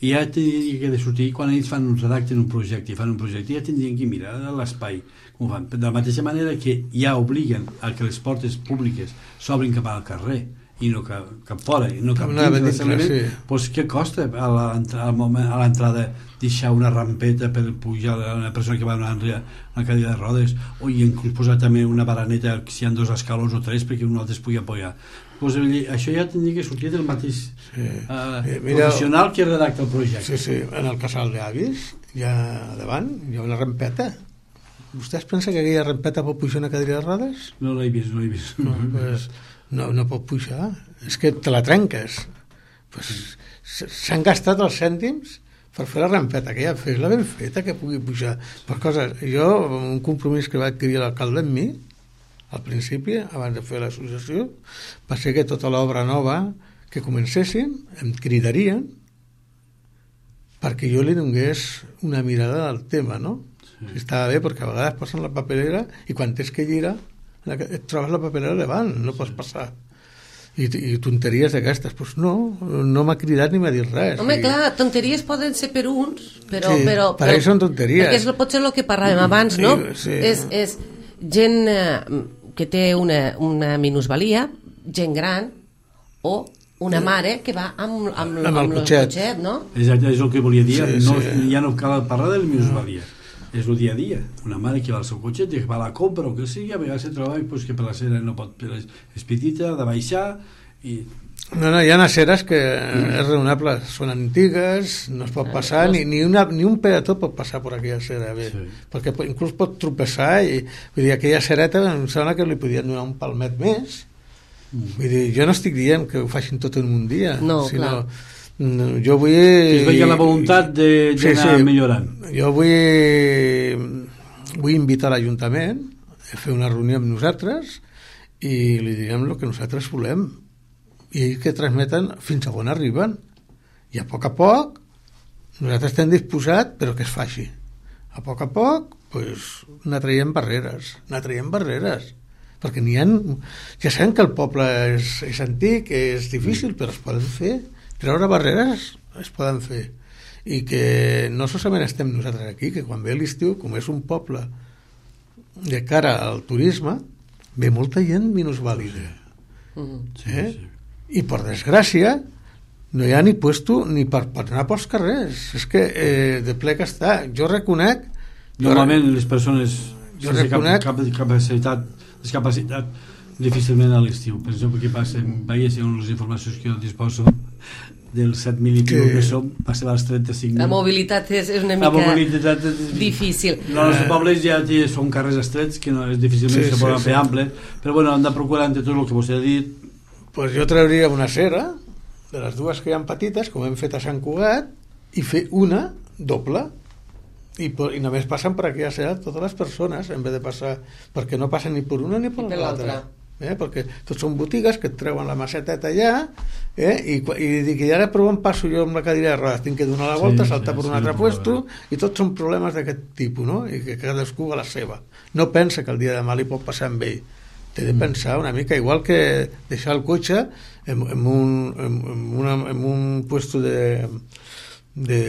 i ja tindria que de sortir, quan ells fan un redacten un projecte i fan un projecte, ja tindrien que mirar l'espai com ho fan, de la mateixa manera que ja obliguen a que les portes públiques s'obrin cap al carrer i no cap, cap fora, i no cap dins de l'establiment, sí. Pues què costa a l'entrada deixar una rampeta per pujar a una persona que va a una, una cadira de rodes, o inclús posar també una baraneta si hi ha dos escalons o tres perquè un altre es pugui apoyar. Pues, això ja tindria que sortir del mateix sí. uh, eh, mira, professional que redacta el projecte. Sí, sí, en el casal d'avis ja davant hi ha una rampeta. Vostè es pensa que aquella rampeta pot pujar una cadira de rodes? No l'he vist, no l'he vist. No, pues, no, no pot pujar, és que te la trenques. Pues, s'han gastat els cèntims per fer la rampeta, que ja fes-la ben feta, que pugui pujar. Per coses, jo, un compromís que va adquirir l'alcalde amb mi, al principi, abans de fer l'associació, va ser que tota l'obra nova que comencessin em cridarien perquè jo li donés una mirada al tema, no? Sí. Estava bé, perquè a vegades posen la paperera i quan tens que girar et trobes la paperera davant, no pots passar. I, i tonteries d'aquestes, doncs no, no m'ha cridat ni m'ha dit res. Home, i... clar, tonteries poden ser per uns, però... Sí, però, per ells són tonteries. Perquè és potser el que parlàvem abans, no? Sí. És, és gent eh, que té una, una minusvalia, gent gran, o una mare que va amb, amb, amb, amb el cotxet, cotxet, no? Exacte, és el que volia dir, sí, no, sí. Ja no cal parlar de la minusvalia. És el dia a dia, una mare que va al seu cotxet i que va a la compra o que sigui, a vegades se troba pues, que per la cera no pot, però és petita, ha de baixar i... No, no, hi ha aceres que és raonable, són antigues, no es pot passar, ni, ni, una, ni un peató pot passar per aquella acera, bé, sí. Perquè inclús pot tropeçar i vull dir, aquella acereta em sembla que li podien donar un palmet més. Mm. Vull dir, jo no estic dient que ho facin tot en un dia, no, sinó clar. Jo vull... Que es vegi la voluntat d'anar sí, sí. millorant. Jo vull, vull invitar l'Ajuntament a fer una reunió amb nosaltres i li direm el que nosaltres volem i ells que transmeten fins a on arriben. I a poc a poc nosaltres estem disposats, però que es faci. A poc a poc pues, anar traient barreres, anar traient barreres, perquè n'hi ha... Ja sabem que el poble és, és antic, és difícil, però es poden fer. Treure barreres es poden fer. I que no solament estem nosaltres aquí, que quan ve l'estiu, com és un poble de cara al turisme, ve molta gent minusvàlida. Sí, eh? sí. I per desgràcia no hi ha ni puesto ni per, per anar pels carrers. És que eh, de ple que està. Jo reconec... Normalment jo, les persones jo sense reconec, cap, cap capacitat, discapacitat difícilment a l'estiu. Per exemple, que passa, veiessin les informacions que jo disposo dels set mil i pico que som, passem als trenta-cinc mil. La mobilitat és, és una mica mobilitat és, difícil. No, els pobles ja són carrers estrets que no, és difícilment sí, se poden sí, fer sí. amples, però bueno, hem de procurar entre tot el que vostè ha dit. Pues jo trauria una cera de les dues que hi ha petites, com hem fet a Sant Cugat, i fer una doble. I, i només passen per aquí a ser totes les persones, en vez de passar, perquè no passen ni per una ni per, per l'altra. Eh? Perquè tots són botigues que et treuen la maceteta allà, eh? I, i dic, i ara prou em passo jo amb la cadira de rodes, tinc que donar la volta, sí, saltar sí, per un sí, altre puesto, i tots són problemes d'aquest tipus, no? I que cadascú a la seva. No pensa que el dia de demà li pot passar amb ell. Té de pensar una mica, igual que deixar el cotxe en, en, un, en, una, en un puesto de, de,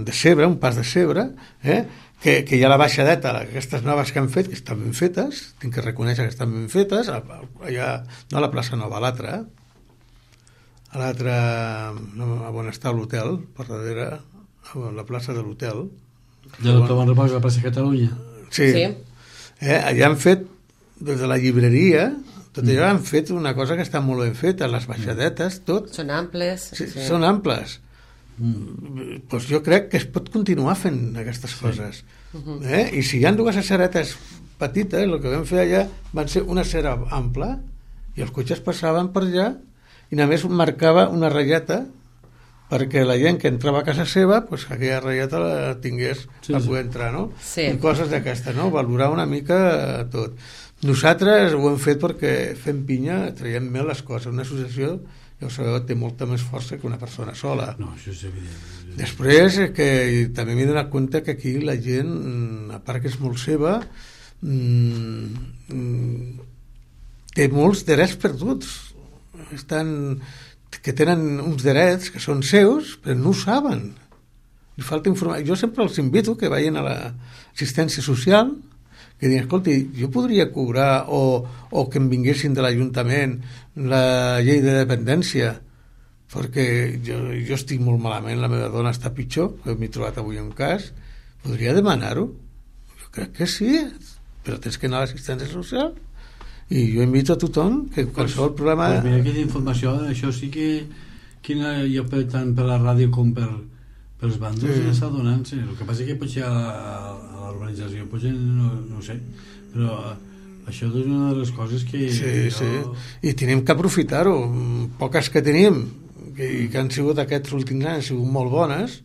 de cebre, un pas de cebre, eh? que, que hi ha la baixadeta, aquestes noves que han fet, que estan ben fetes, tinc que reconèixer que estan ben fetes, allà, no a la plaça Nova, a l'altra, a l'altra, no, on està l'hotel, per darrere, a la plaça de l'hotel. De l'hotel Bon Repòs, a la plaça Catalunya. Sí, sí. Eh, allà han fet des de la llibreria, tot allò mm. han fet una cosa que està molt ben feta, les baixadetes, tot. Són amples. Sí, sí. Són amples. Mm. Pues jo crec que es pot continuar fent aquestes sí. coses. Uh-huh. Eh? I si hi ha dues aceretes petites, el que vam fer allà van ser una acera ampla i els cotxes passaven per allà i només marcava una ratlleta perquè la gent que entrava a casa seva pues, aquella ratlleta la tingués sí, per poder entrar, no? Sí. I coses d'aquestes, no? Valorar una mica tot. Nosaltres ho hem fet perquè fem pinya, traiem més les coses. Una associació, ja ho sabeu, té molta més força que una persona sola. No, això és evident. Després, que també m'he donat compte que aquí la gent, a part que és molt seva, mmm, té molts drets perduts. Estan, que tenen uns drets que són seus, però no ho saben. Li falta informació. Jo sempre els invito que vagin a l'assistència social, que diuen, escolti, jo podria cobrar o, o que em vinguessin de l'Ajuntament la llei de dependència, perquè jo, jo estic molt malament, la meva dona està pitjor, que m'he trobat avui un cas, podria demanar-ho? Jo crec que sí, però tens que anar a l'assistència social. I jo invito a tothom que qualsevol pues, problema... Pues mira, aquesta informació, això sí que, que no, jo tant per la ràdio com per pels bàndols sí. ja està donant-se. El que passa és que potser a, a, a l'urbanització potser no, no ho sé, però això és una de les coses que sí, jo... sí. I tenim que aprofitar-ho. Poques que tenim que, que han sigut aquests últims anys han sigut molt bones,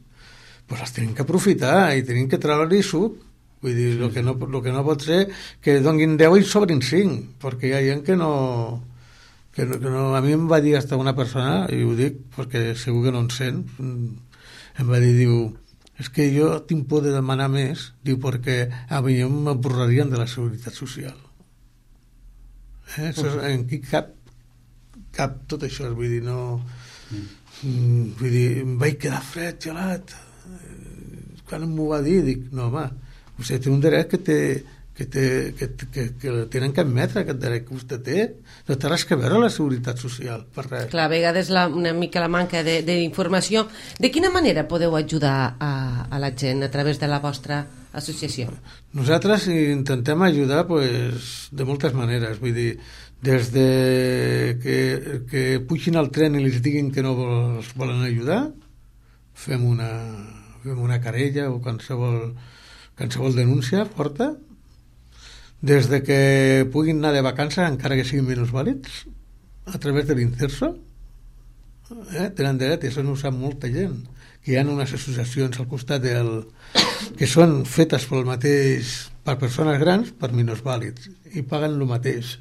doncs les tenim que aprofitar i tenim que treure-hi suc. Vull dir, el que, no, el que no pot ser que donguin deu i sobrin cinc, perquè hi ha gent que no, que no, que no... A mi em va dir hasta una persona, i ho dic perquè segur que no en sent, em va dir, diu, és que jo tinc por de demanar més, diu, perquè a mi m'emborrarien de la Seguretat Social. Eh? Això, en qui cap, cap tot això, vull dir, no... Mm. Vull dir, em vaig quedar fred, gelat. Quan m'ho va dir, dic, no, home, vostè té un dret que té... Que, té, que, que, que tenen que admetre aquest dret que vostè té, no té res que veure la Seguretat Social, per res. Clar, a vegades la, una mica la manca d'informació. De, de quina manera podeu ajudar a, a la gent a través de la vostra associació? Nosaltres intentem ajudar pues, de moltes maneres, vull dir, des de que, que pugin al tren i els diguin que no els volen ajudar, fem una, fem una querella o qualsevol, qualsevol denúncia forta, des de que puguin anar de vacances encara que siguin minusvàlids a través de l'Inserso, eh? Tenen dret, i això no ho sap molta gent, que hi ha unes associacions al costat del... que són fetes pel mateix, per persones grans, per minusvàlids, i paguen el mateix.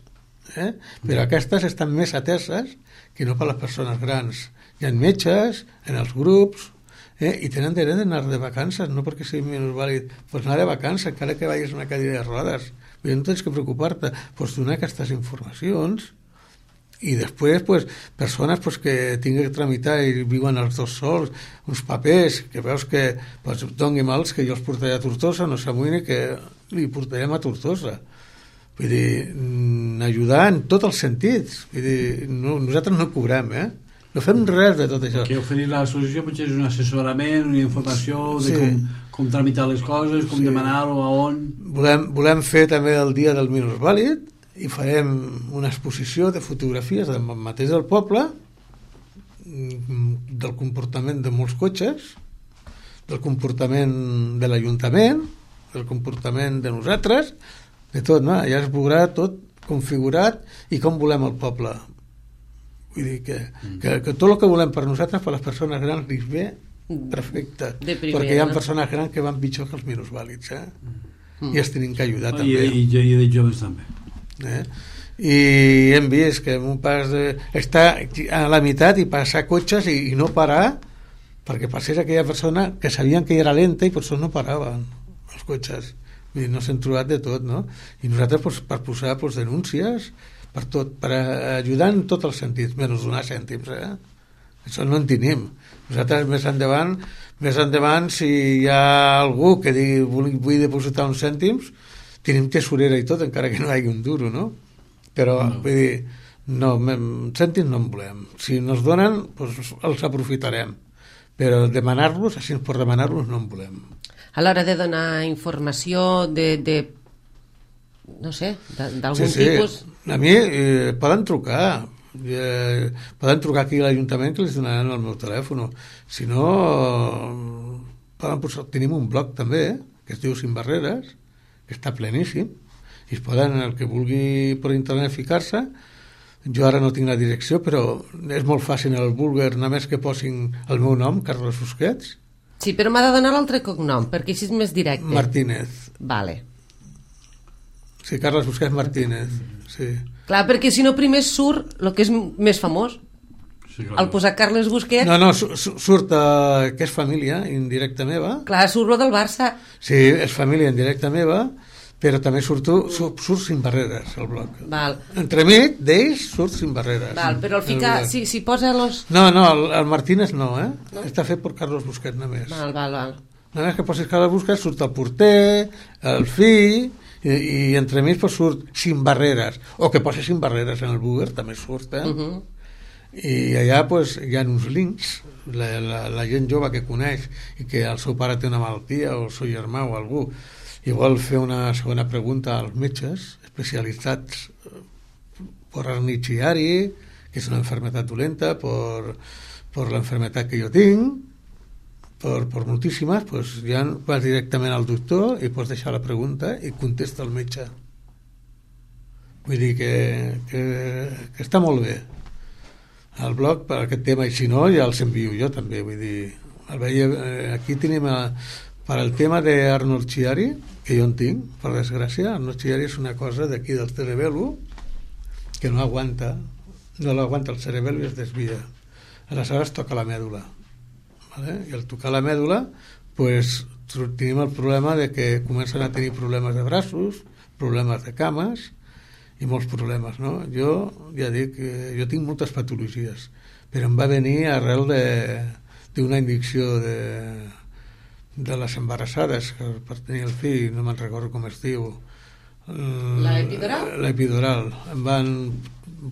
Eh? Però aquestes estan més ateses que no per les persones grans. Hi ha metges, en els grups, eh? I tenen dret d'anar de vacances, no perquè sigui minusvàlid, pues anar de vacances, encara que vagis a una cadira de rodes. Vull dir, no tens que preocupar-te, pues donar aquestes informacions. I després, pues, persones pues, que tinguin que tramitar i viuen els dos sols, uns papers, que veus que pues, doni mals, que jo els portaré a Tortosa, no s'amoïni que li portarem a Tortosa. Vull dir, ajudar en tots els sentits. Vull dir, no, nosaltres no cobrem, eh? No fem res de tot això. Que oferir l'associació potser és un assessorament, una informació de sí. com, com tramitar les coses, com sí. demanar-ho, a on... Volem, volem fer també el dia del minusvàlid, i farem una exposició de fotografies del mateix del poble, del comportament de molts cotxes, del comportament de l'Ajuntament, del comportament de nosaltres, de tot, no? Ja es veurà tot configurat i com volem el poble. Vull dir que, que, que tot el que volem per nosaltres, per les persones grans, li ve perfecte, primera, perquè hi ha persones grans que van pitjor que els minusvàlids, eh? Mm. I els tenim que ajudar oh, també. I, i, i de joves també. Eh? I hem vist que un pas de, està a la meitat i passar cotxes i, i no parar, perquè passés aquella persona que sabien que era lenta i per això no paraven els cotxes. Vull dir, no s'han trobat de tot, no? I nosaltres pues, per posar pues, denúncies per tot, per ajudar en tots els sentits, menys donar cèntims, eh? Això no en tenim. Nosaltres més endavant, més endavant, si hi ha algú que digui vull, vull dipositar uns cèntims, tenim tesorera i tot, encara que no hi hagi un duro, no? Però, no. Vull dir, no, cèntims no en volem. Si ens donen, doncs els aprofitarem. Però demanar-los, així per demanar-los, no en volem. A l'hora de donar informació de... de no sé, d'algun sí, sí. tipus... A mi eh, poden trucar, eh, poden trucar aquí a l'Ajuntament que els donaran el meu telèfon. Si no, poden posar, tenim un blog també, eh, que es diu Sin Barreres, que està pleníssim, i es poden, el que vulgui per internet ficar-se. Jo ara no tinc la direcció, però és molt fàcil el Bulgar, només que posin el meu nom, Carles Busquets. Sí, però m'ha de donar l'altre cognom, perquè així és més directe. Martínez. Vale. Sí, Carles Busquets Martínez, sí. Clar, perquè si no primer surt el que és més famós. Sí, al posar Carles Busquets... No, no, surt uh, que és família indirecta meva. Clar, surt lo del Barça. Sí, és família indirecta meva, però també surto, surt, surt Sin Barreres, el blog. Val. Entremig d'ells surt Sin Barreres. Val, però el ficar, el si, si posa los... No, no, el, el Martínez no, eh? No? Està fet per Carles Busquets només. Val, val, val. Només que posis Carles Busquets surt el porter, el fill... i, i entremig pues, surt Sin Barreres, o que posi Sin Barreres en el Google, també surt, eh? Uh -huh. I allà pues, hi ha uns links, la, la, la gent jove que coneix i que el seu pare té una malaltia o el seu germà o algú i vol fer una segona pregunta als metges especialitzats per arnichiari, que és una enfermedad dolenta, per, per l'enfermedad que jo tinc, Per, per moltíssimes, pues, ja vas directament al doctor i pots deixar la pregunta i contesta el metge. Vull dir que, que, que està molt bé el blog per aquest tema, i si no ja els envio jo també. Vull dir, el veia, aquí tenim a, per al tema d'Arnold Chiari, que jo en tinc, per desgràcia. Arnold Chiari és una cosa d'aquí del cerebelo que no aguanta, no l'aguanta el cerebelo i es desvia. Aleshores toca la mèdula. Vale? I al tocar la mèdula pues, tenim el problema de que comencen a tenir problemes de braços, problemes de cames i molts problemes, no? Jo ja dic que jo tinc moltes patologies, però em va venir arrel d'una indicció de, de les embarassades que per tenir el fill, no me'n recordo com es diu, l'epidural? L'epidural. Em van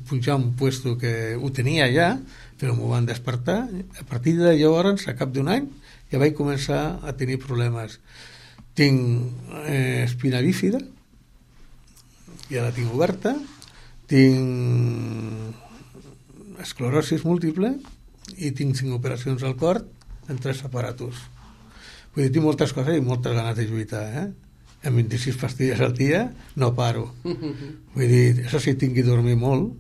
punxar un puesto que ho tenia ja, però m'ho van despertar. A partir de llavors, a cap d'un any, ja vaig començar a tenir problemes. Tinc eh, espina bífida, ja la tinc oberta, tinc esclerosis múltiple i tinc cinc operacions al cor en tres aparatos. Vull dir, tinc moltes coses i moltes ganes de lluitar, eh? Amb vint-i-sis pastilles al dia no paro. Vull dir, això sí, tinc que dormir molt.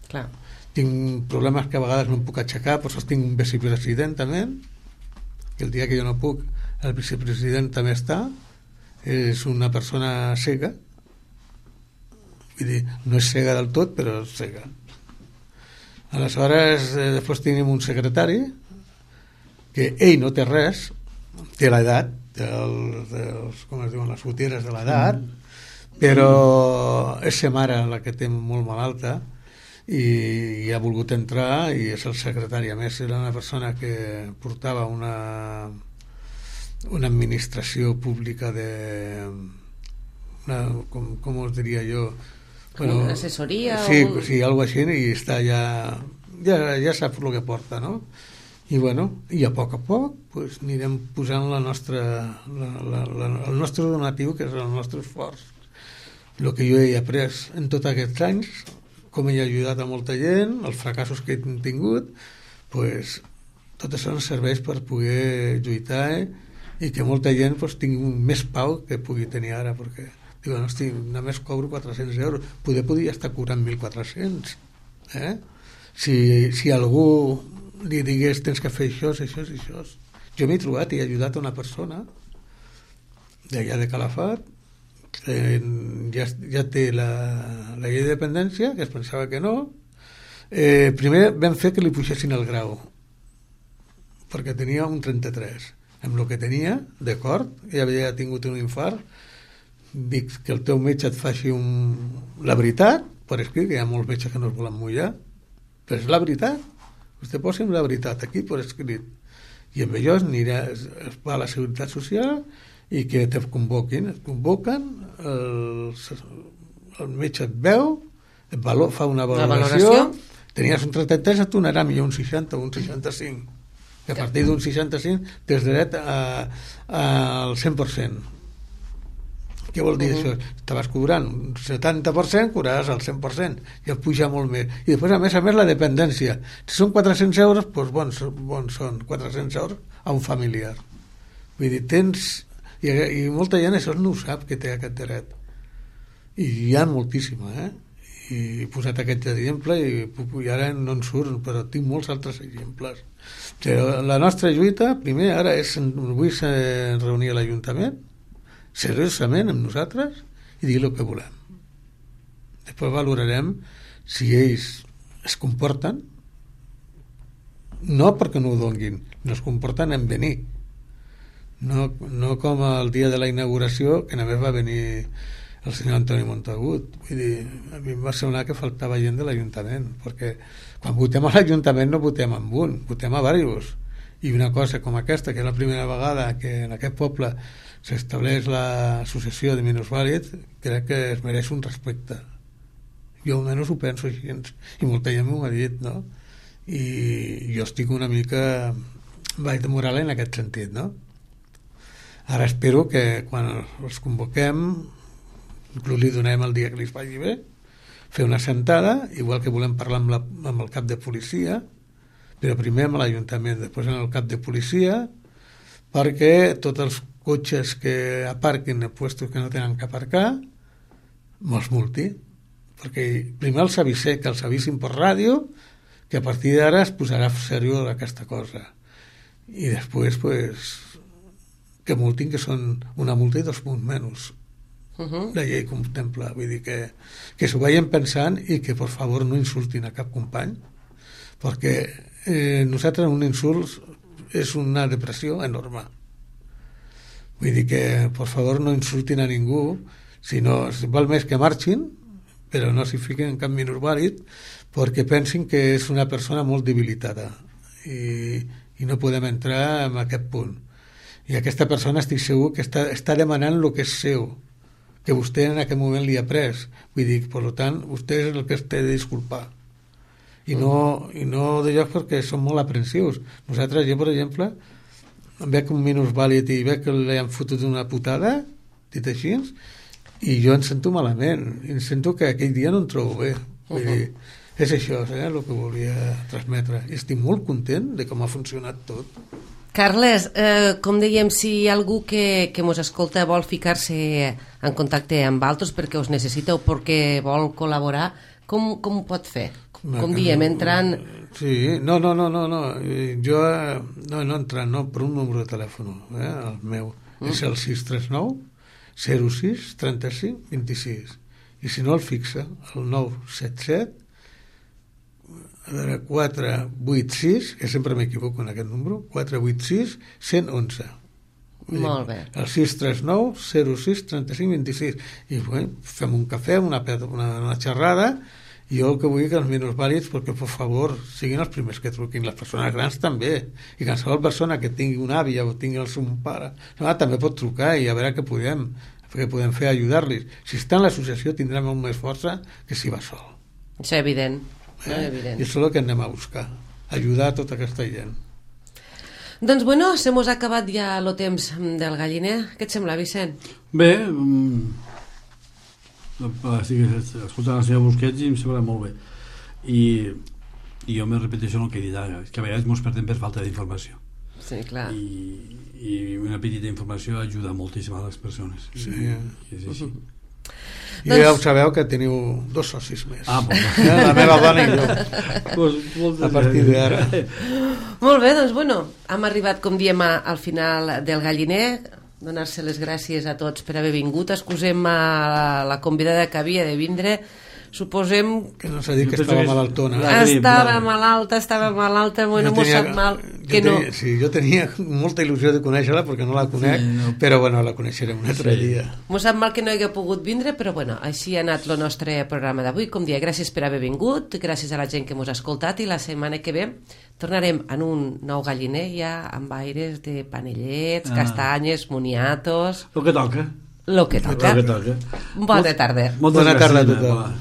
Clar. tinc problemes que a vegades no em puc aixecar, per això tinc un vicepresident també, que el dia que jo no puc el vicepresident també està, és una persona cega, vull dir, no és cega del tot, però és cega. Aleshores, eh, després tenim un secretari que ell no té res, té l'edat, té els, els, com es diuen, les goteres de l'edat, mm. però és sa mare la que té molt malalta i, i ha volgut entrar i és el secretari. A més, era una persona que portava una, una administració pública de... Una, com, com us diria jo... Bueno, assessoria sí, o... sí, algo així, i està ja, ja, ja sap el que porta, no? I bueno, i a poc a poc pues, anirem posant la nostra, la, la, la, el nostre donatiu, que és el nostre esforç. El que jo he après en tots aquests anys, com he ajudat a molta gent, els fracassos que he tingut, pues, tot això ens serveix per poder lluitar eh? I que molta gent pues, tingui més pau que pugui tenir ara, perquè diu, no, hosti, només cobro quatre-cents euros, poder podria estar cobrant mil quatre-cents. Eh? Si, si algú li digués tens que fer això, això, això. Jo m'he trobat i he ajudat a una persona d'allà de Calafat que ja, ja té la, la llei de dependència, que es pensava que no. Eh, primer vam fer que li puixessin el grau, perquè tenia un trenta-tres. Amb el que tenia, d'acord, ja havia tingut un infart, dic que el teu metge et faci un... la veritat, per escrit, que hi ha molts metges que no es volen mullar, però és la veritat. Vostè posi'm la veritat aquí per escrit. I amb allò es, anirà, es, es va a la Seguretat Social i que te convoquin. Et convoquen, el, el metge et veu, et valor, fa una valoració, valoració. Tenies un trenta-tres, et donarà millor un seixanta o un seixanta-cinc. Que a partir d'un seixanta-cinc tens dret al cent per cent. Què vol dir uh -huh. això? Estaves cobrant un setanta per cent, cobraràs el cent per cent, ja puja molt més. I després, a més a més, la dependència. Si són quatre-cents euros, doncs bons, bons són quatre-cents euros a un familiar. Vull dir, tens... I, i molta gent això no ho sap, que té aquest dret. I hi ha moltíssima, eh? I he posat aquest exemple i, i ara no en surt, però tinc molts altres exemples. Però la nostra lluita, primer, ara és... Avui s'ha reunit a l'Ajuntament, seriosament amb nosaltres i dir el que volem. Després valorarem si ells es comporten, no perquè no ho donguin, no es comporten en venir, no, no com el dia de la inauguració, que només va venir el senyor Antoni Montagut. Vull dir, a mi em va semblar que faltava gent de l'Ajuntament, perquè quan votem a l'Ajuntament no votem amb un, votem a diversos. I una cosa com aquesta, que és la primera vegada que en aquest poble s'estableix l'associació de minusvàlids, crec que es mereix un respecte. Jo almenys ho penso així, i molta gent m'ho ha dit, no? I jo estic una mica baix de moral en aquest sentit, no? Ara espero que quan els convoquem, inclús li donem el dia que li vagi bé, fer una sentada, igual que volem parlar amb, la, amb el cap de policia, però primer amb l'Ajuntament, després amb el cap de policia, perquè tots els cotxes que aparquin en puestos que no tenen que aparcar me'ls multi, perquè primer els avisé, que els avisin per ràdio, que a partir d'ara es posarà seriós aquesta cosa, i després pues, que multin, que són una multa i dos punts menys. Uh-huh. La llei contempla, vull dir que, que s'ho vagin pensant i que per favor no insultin a cap company, perquè eh, nosaltres un insult és una depressió enorme. Vull dir que, per favor, no insultin a ningú, sinó, si val més que marxin, però no s'hi fiquen en cap minusvàlid, perquè pensin que és una persona molt debilitada i, i no podem entrar en aquest punt. I aquesta persona estic segur que està, està demanant el que és seu, que vostè en aquest moment li ha pres. Vull dir, per tant, vostè és el que es té de disculpar. I no, i no de llocs perquè són molt aprensius. Nosaltres, jo, per exemple, veig un minusvàlid i veig que li han fotut una putada, dit així, i jo em sento malament. I em sento que aquell dia no em trobo bé. Vull dir, és això, eh, el que volia transmetre. I estic molt content de com ha funcionat tot. Carles, eh, com dèiem, si algú que, que mos escolta vol ficar-se en contacte amb altres perquè us necessita o perquè vol col·laborar, com, com ho pot fer? com diem, entrant... Sí, no, no, no, no, no. Jo, no, no entrant, no, per un número de telèfon, eh, el meu. Mm. És el sis tres nou zero sis trenta-cinc vint-i-sis. I si no el fixa, el nou set set a veure, quatre vuit sis, que sempre m'equivoco en aquest número, quatre vuit sis un u un. Molt bé. El sis tres nou zero sis trenta-cinc vint-i-sis. I bueno, fem un cafè, una, una, una xerrada. I jo el que vull que els minusvàlids, perquè per favor siguin els primers que truquin, les persones grans també, i qualsevol persona que tingui una àvia o tingui el seu pare no, també pot trucar i a veure què podem què podem fer a ajudar-los. Si està en l'associació tindrà molt més força que si va sol. Això és evident, eh? no és evident. I això és el que anem a buscar, ajudar a tota aquesta gent. Doncs bueno, se mos ha acabat ja el temps del galliner. Què et sembla, Vicent? Bé, estic escoltant la seva Busquets i em sembla molt bé. I, i jo me repeteixo el que he dit ara, que a vegades ens perdem per falta d'informació. Sí, clar. I, i una petita informació ajuda moltíssim a les persones. Sí. I, i és així. I doncs... ja ho sabeu que teniu dos socis més. Ah, bon. La meva dona i jo. Pues, a partir d'ara. Molt bé, doncs bueno, hem arribat, com diem, al final del galliner. Donar-se les gràcies a tots per haver vingut. Excusem a la, la convidada que havia de vindre. Suposem... Que no s'ha dit que estava malaltona. Estava malalta, estava malalta, bueno, m'ho sap mal. Que no. Sí, jo tenia molta il·lusió de conèixer-la perquè no la conec, sí, no. Però bueno, la coneixerem un altre sí. dia. M'ho sap mal que no hagi pogut vindre, però bueno, així ha anat el nostre programa d'avui. Com dia, gràcies per haver vingut, gràcies a la gent que mos ha escoltat i la setmana que ve tornarem en un nou galliner ja amb aires de panellets, ah. castanyes, moniatos... Lo que toca. Lo que toca. Lo que toca. Bona tarda. Bona tarda a tothom.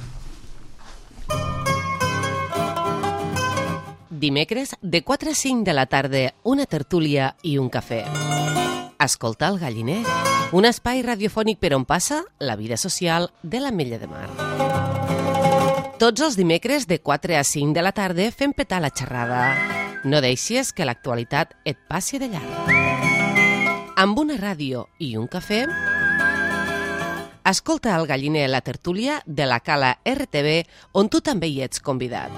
Dimecres, de quatre a cinc de la tarda, una tertúlia i un cafè. Escolta el galliner, un espai radiofònic per on passa la vida social de l'Ametlla de Mar. Tots els dimecres, de quatre a cinc de la tarda, fem petar la xerrada. No deixis que l'actualitat et passi de llarg. Amb una ràdio i un cafè, escolta el galliner la tertúlia de la Cala R T V, on tu també hi ets convidat.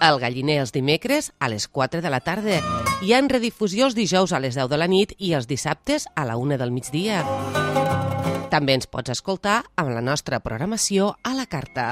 El galliner els dimecres a les quatre de la tarda. Hi ha en redifusió els dijous a les deu de la nit i els dissabtes a la una del migdia. També ens pots escoltar amb la nostra programació a la carta.